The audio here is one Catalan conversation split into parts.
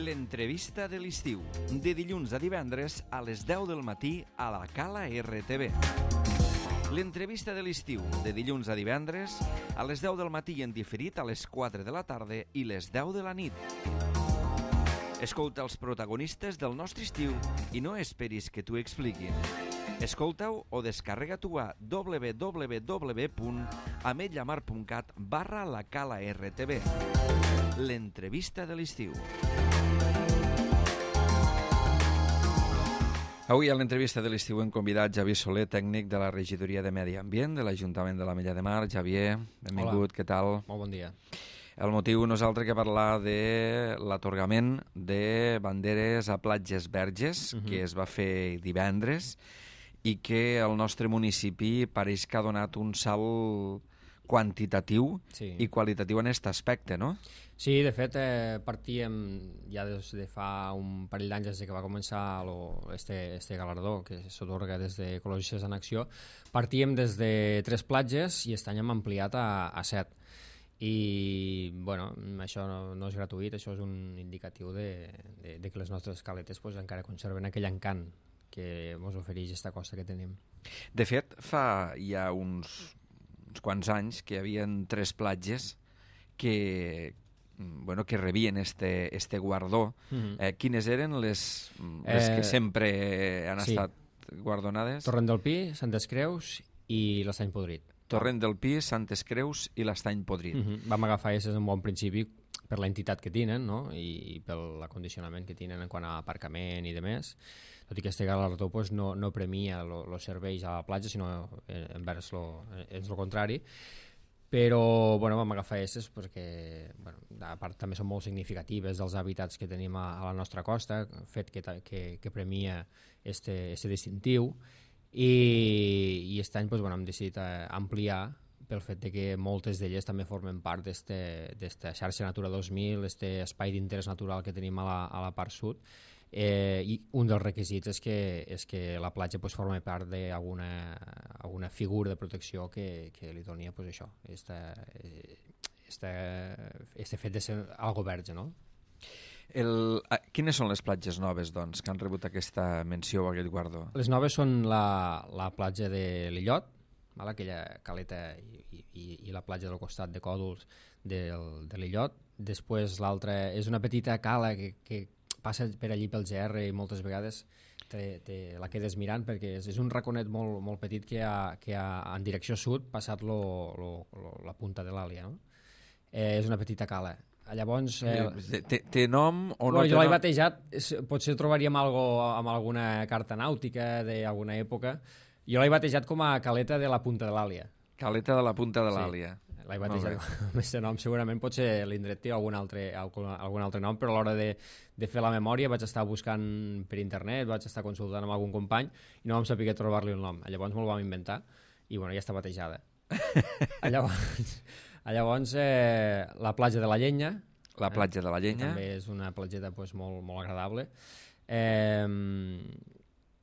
L'entrevista de l'estiu, de dilluns a divendres a les 10 del matí a la Cala RTV. L'entrevista de l'estiu, de dilluns a divendres a les 10 del matí i en diferit a les 4 de la tarda i les 10 de la nit. Escolta els protagonistes del nostre estiu i no esperis que t'ho expliquin. Escolta-ho o descarrega-t'ho a www.ametlamar.cat/lacala-rtv. L'entrevista de l'estiu. Avui a l'entrevista de l'estiu hem convidat Javier Soler, tècnic de la Regidoria de Medi Ambient de l'Ajuntament de l'Ametlla de Mar. Javier, benvingut, Hola. Què tal? Molt bon dia. El motiu no és altre que parlar de l'atorgament de banderes a platges verges, que es va fer divendres, i que el nostre municipi pareix que ha donat un salt quantitatiu i qualitatiu en aquest aspecte, no? Sí, de fet, partíem ja des de fa un parell d'anys, des que va començar este galardó que s'atorga des d'Ecologistes en Acció, partíem des de 3 platges i aquest any hem ampliat a 7. I, bueno, això no és gratuït, això és un indicatiu de que les nostres caletes pues, encara conserven aquell encant que ens ofereix aquesta costa que tenim. De fet, fa ja uns quants anys que hi havia 3 platges que rebien este guardó. Quines eren les que sempre han estat guardonades? Torrent del Pi, Santes Creus i l'Estany Podrit. Torrent del Pi, Santes Creus i l'Estany Podrit. Vam agafar aquestes en bon principi per la entitat que tenen, no? I pel acondicionament que tenen en quant a aparcament i demés, tot i que este galardó pues, no premia els serveis a la platja, sinó envers el contrari. Però vam agafar aquestes perquè, a part també són molt significatives dels hàbitats que tenim a la nostra costa, fet que premia este distintiu, i aquest any hem decidit ampliar pel fet que moltes d'elles també formen part d'esta xarxa Natura 2000, aquest espai d'interès natural que tenim a la part sud, i un dels requisits és que la platja forma part d'alguna figura de protecció que li doni això, este fet de ser algo verge, no? Quines són les platges noves, doncs, que han rebut aquesta menció o aquest guardó? Les noves són la platja de l'Illot, aquella caleta i la platja del costat de Còdols de l'Illot. Després l'altra és una petita cala que passa per allí pel GR i moltes vegades la quedes mirant perquè és un raconet molt petit que ha en direcció sud passat la punta de l'Àlia, no? És una petita cala. Llavors... Té nom o no? Jo l'he batejat, potser trobaríem amb alguna carta nàutica d'alguna època. Jo l'he batejat com a caleta de la punta de l'Àlia. Caleta de la punta de l'Àlia. Sí, l'he batejat amb aquest nom. Segurament potser l'indret té algun altre nom, però a l'hora de fer la memòria vaig estar buscant per internet, vaig estar consultant amb algun company i no vam saber trobar-li un nom. Llavors me'l vam inventar i ja està batejada. Llavors la platja de la Llenya. La platja de la Llenya. També és una platgeta molt agradable.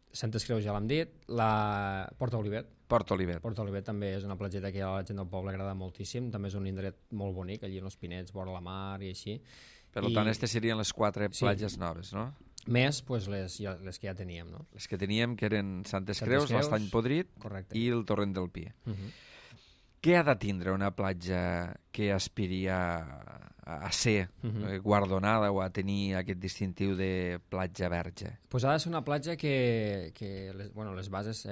Santes Creus ja l'hem dit. La Port Olivet. Port Olivet també és una platgeta que a la gent del poble agrada moltíssim. També és un indret molt bonic, allí en els Pinets, vora la mar i així. Per tant, aquestes serien les 4 platges noves, no? Més les que ja teníem, no? Les que teníem, que eren Santes Creus, l'Estany Podrit i el Torrent del Pi. Què ha de tindre una platja que aspiri a ser guardonada o a tenir aquest distintiu de platja verge? Pues ha de ser una platja que les bases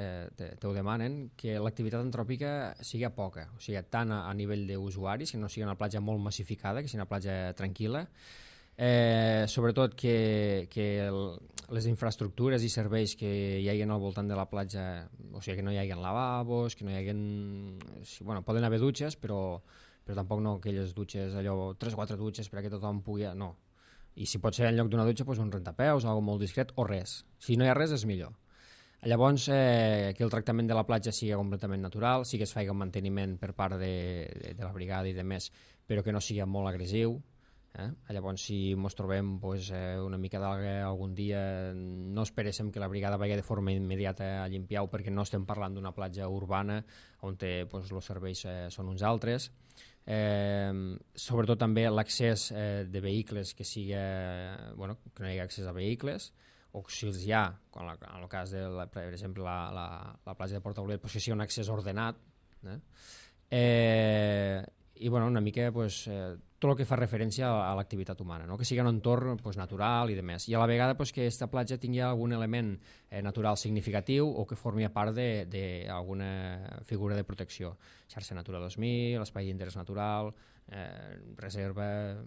t'ho demanen, que l'activitat antròpica sigui poca, o sigui, tant a nivell d'usuaris, que no sigui una platja molt massificada, que sigui una platja tranquil·la, sobretot que les infraestructures i serveis que hi hagi al voltant de la platja, o sigui que no hi hagi lavabos, que no hi hagi... poden haver dutxes, però tampoc no aquelles dutxes, allò, 3 o 4 dutxes perquè tothom pugui... No. I si pot ser en lloc d'una dutxa, un rentapeus, algo molt discret, o res. Si no hi ha res, és millor. Llavors, que el tractament de la platja sigui completament natural, sí que es faci un manteniment per part de la brigada i de més, però que no sigui molt agressiu. Llavors, si ens trobem una mica d'alga algun dia, no esperéssim que la brigada vagi de forma immediata a limpiar-ho, perquè no estem parlant d'una platja urbana on els serveis són uns altres. sobretot també l'accés de vehicles que sigui, que no hi hagi accés a vehicles, o si els hi ha, en el cas de, per exemple, la platja de Portaolet, que sigui un accés ordenat, i una mica tot el que fa referència a l'activitat humana, que sigui un entorn natural i de més. I a la vegada que aquesta platja tingui algun element natural significatiu o que formi part d'alguna figura de protecció. Xarxa Natura 2000, espai d'interès natural, reserva,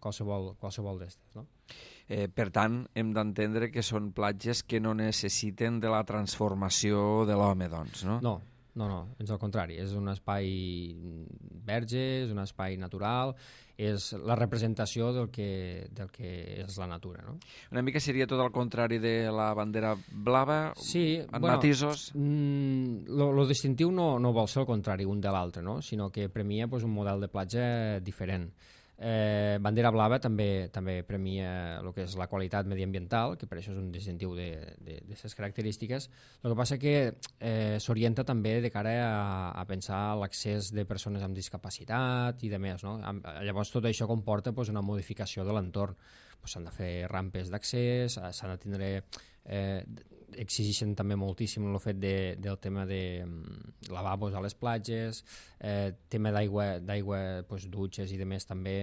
qualsevol d'estes. No? Per tant, hem d'entendre que són platges que no necessiten de la transformació de l'home, doncs, no? No, és al contrari, és un espai verge, és un espai natural, és la representació del que és la natura. No? Una mica seria tot el contrari de la bandera blava, sí, en matisos? Lo distintiu no vol ser el contrari un de l'altre, no? Sinó que premia un model de platja diferent. Bandera blava també premia el que és la qualitat mediambiental, que per això és un distintiu d'aquestes característiques. El que passa que s'orienta també de cara a pensar l'accés de persones amb discapacitat i de més. No? Llavors tot això comporta una modificació de l'entorn. S'han de fer rampes d'accés, s'han de tindre... exigeixen també moltíssim el fet del tema de lavabos a les platges, tema d'aigua, dutxes i de més també.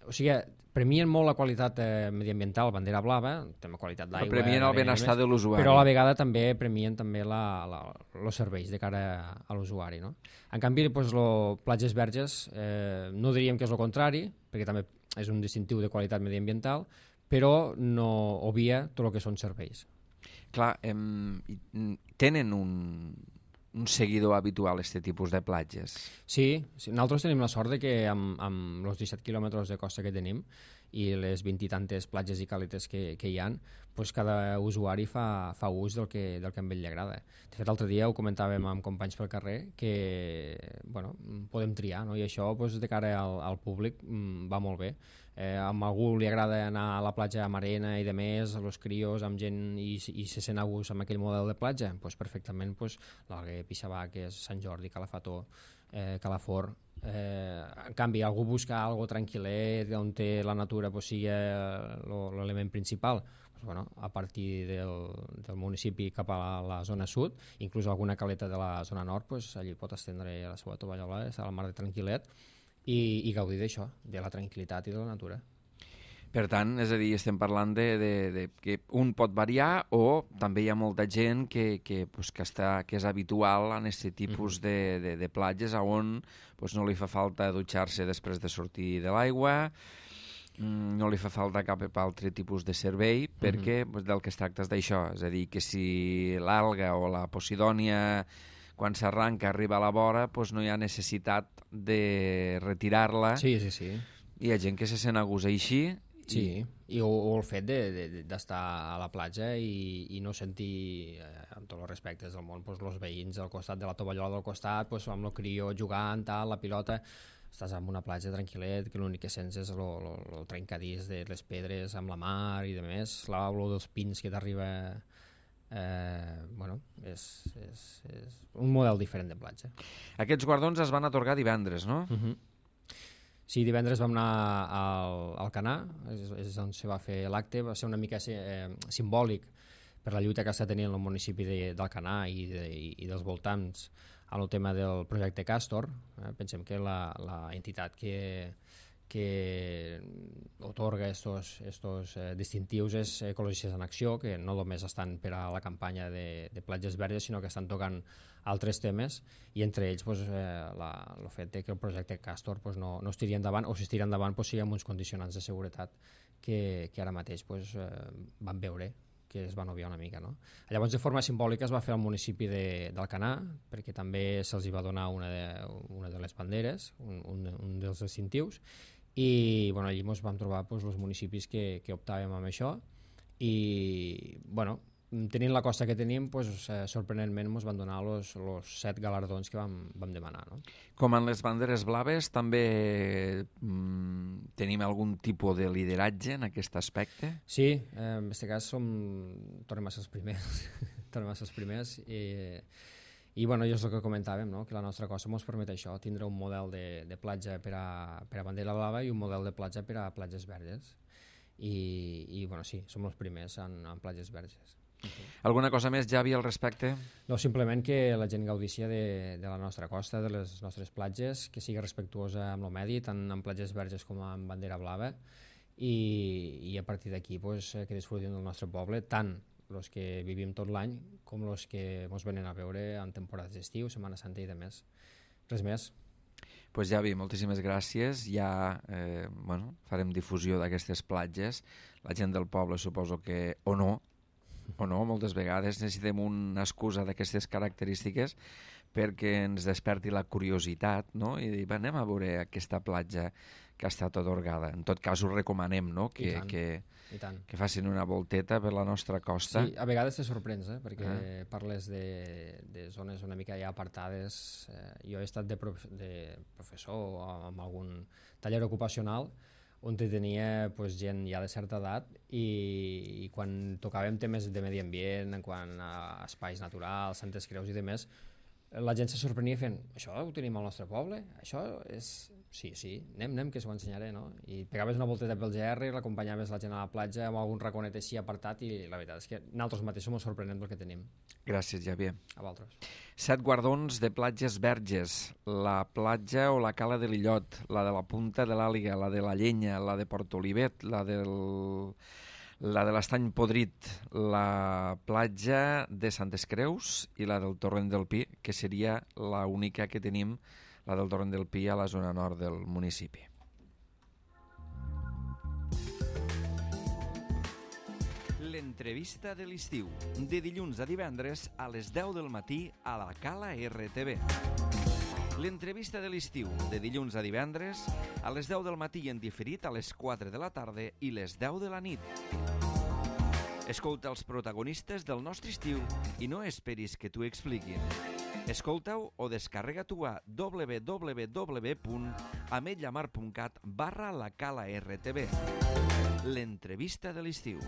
O sigui, premien molt la qualitat mediambiental, bandera blava, tema qualitat d'aigua... Premien el benestar de l'usuari. Però a la vegada també premien també els serveis de cara a l'usuari. No? En canvi, platges verges no diríem que és el contrari, perquè també és un distintiu de qualitat mediambiental, però no obvia tot el que són serveis. Clar, tenen un seguidor habitual aquest tipus de platges? Sí, nosaltres tenim la sort que amb els 17 quilòmetres de costa que tenim i les 20 i tantes platges i caletes que hi ha, cada usuari fa ús del que a ell li agrada. De fet, l'altre dia ho comentàvem amb companys pel carrer que podem triar, no? I això de cara al públic va molt bé. A algú li agrada anar a la platja amb arena i de més, a los crios, amb gent i se sent a gust amb aquell model de platja, perfectament l'Alguer, Pixavar, que és Sant Jordi, Calafató, Calafort. En canvi, algú busca algo tranquil·let, on la natura sigui l'element principal, a partir del municipi cap a la zona sud, inclús alguna caleta de la zona nord, allí pot estendre la seva tovallola, estar al mar de tranquil·let, i gaudir d'això, de la tranquil·litat i de la natura. Per tant, és a dir, estem parlant de que un pot variar o també hi ha molta gent que és habitual en aquest tipus de platges on no li fa falta dutxar-se després de sortir de l'aigua, no li fa falta cap altre tipus de servei, perquè del que es tracta és d'això, és a dir, que si l'alga o la posidònia quan s'arranca arriba a la vora no hi ha necessitat de retirar-la. Sí. Hi ha gent que se sent a gust així. Sí, o el fet d'estar a la platja i no sentir, amb tots els respectes del món, els veïns al costat de la tovallola del costat, amb el crió jugant, la pilota, estàs en una platja tranquil·let, que l'únic que sents és el trencadís de les pedres amb la mar i de més, l'olor dels pins que t'arriba... és un model diferent de platja. Aquests guardons es van atorgar divendres, no? Sí, divendres vam anar al Canà, és on se va fer l'acte, va ser una mica simbòlic per la lluita que està tenint el municipi del Canà i dels voltants en el tema del projecte Castor. Pensem que la entitat que otorga estos distintius és Ecologistes en Acció, que no només estan per a la campanya de platges verdes, sinó que estan tocant altres temes, i entre ells el fet que el projecte Castor no es tiri endavant, o si es tira endavant sigui amb uns condicionants de seguretat que ara mateix van veure que es van obviar una mica. No? Llavors, de forma simbòlica, es va fer al municipi d'Alcanar, perquè també se'ls va donar una de les banderes, un dels distintius, i allí ens vam trobar els municipis que optàvem amb això, i tenint la costa que tenim, sorprenentment ens van donar els 7 galardons que vam demanar. No? Com en les banderes blaves, també tenim algun tipus de lideratge en aquest aspecte? Sí, en aquest cas tornem a ser els primers. Tornem a ser els primers, I bueno, és el que comentàvem, no? Que la nostra costa ens permet això, tindre un model de platja per a bandera blava i un model de platja per a platges verges. I bueno, sí, som els primers en platges verges. Alguna cosa més, Javi, al respecte? No, simplement que la gent gaudícia de la nostra costa, de les nostres platges, que sigui respectuosa amb el medi, tant en platges verges com en bandera blava, i a partir d'aquí pues, que disfrutin del nostre poble, tant els que vivim tot l'any com els que ens venen a veure en temporades d'estiu, Setmana Santa i de més. Res més. Pues Javi, moltíssimes gràcies. Ja farem difusió d'aquestes platges. La gent del poble suposo que o no, moltes vegades necessitem una excusa d'aquestes característiques perquè ens desperti la curiositat, no? I dir, anem a veure aquesta platja que ha estat atorgada. En tot cas, us recomanem, no? que facin una volteta per la nostra costa. Sí, a vegades te sorprens, perquè parles de zones una mica ja apartades. Jo he estat de professor amb algun taller ocupacional on tenia gent ja de certa edat i quan tocàvem temes de medi ambient, en quant a espais naturals, Santes Creus i demés, la gent se sorprenia fent, això ho tenim al nostre poble? Això és... Sí, anem que s'ho ensenyaré, no? I pegaves una volteta pel GR i l'acompanyaves la gent a la platja amb algun raconet així apartat i la veritat és que nosaltres mateixos ens sorprenem del que tenim. Gràcies, Javier. A vosaltres. 7 guardons de platges verges, la platja o la cala de l'Illot, la de la Punta de l'Àliga, la de la Llenya, la de Portolivet, la de l'Estany Podrit, la platja de Santes Creus i la del Torrent del Pi, que seria l'única que tenim, la del Torrent del Pi, a la zona nord del municipi. L'entrevista de l'estiu, de dilluns a divendres a les 10 del matí a la Cala RTV. L'entrevista de l'estiu, de dilluns a divendres a les 10 del matí i en diferit a les 4 de la tarda i les 10 de la nit. Escolta els protagonistes del nostre estiu i no esperis que t'ho expliquin. Escolta-ho o descarrega-t'ho a www.ametlllamar.cat/la Cala RTV. L'entrevista de l'estiu.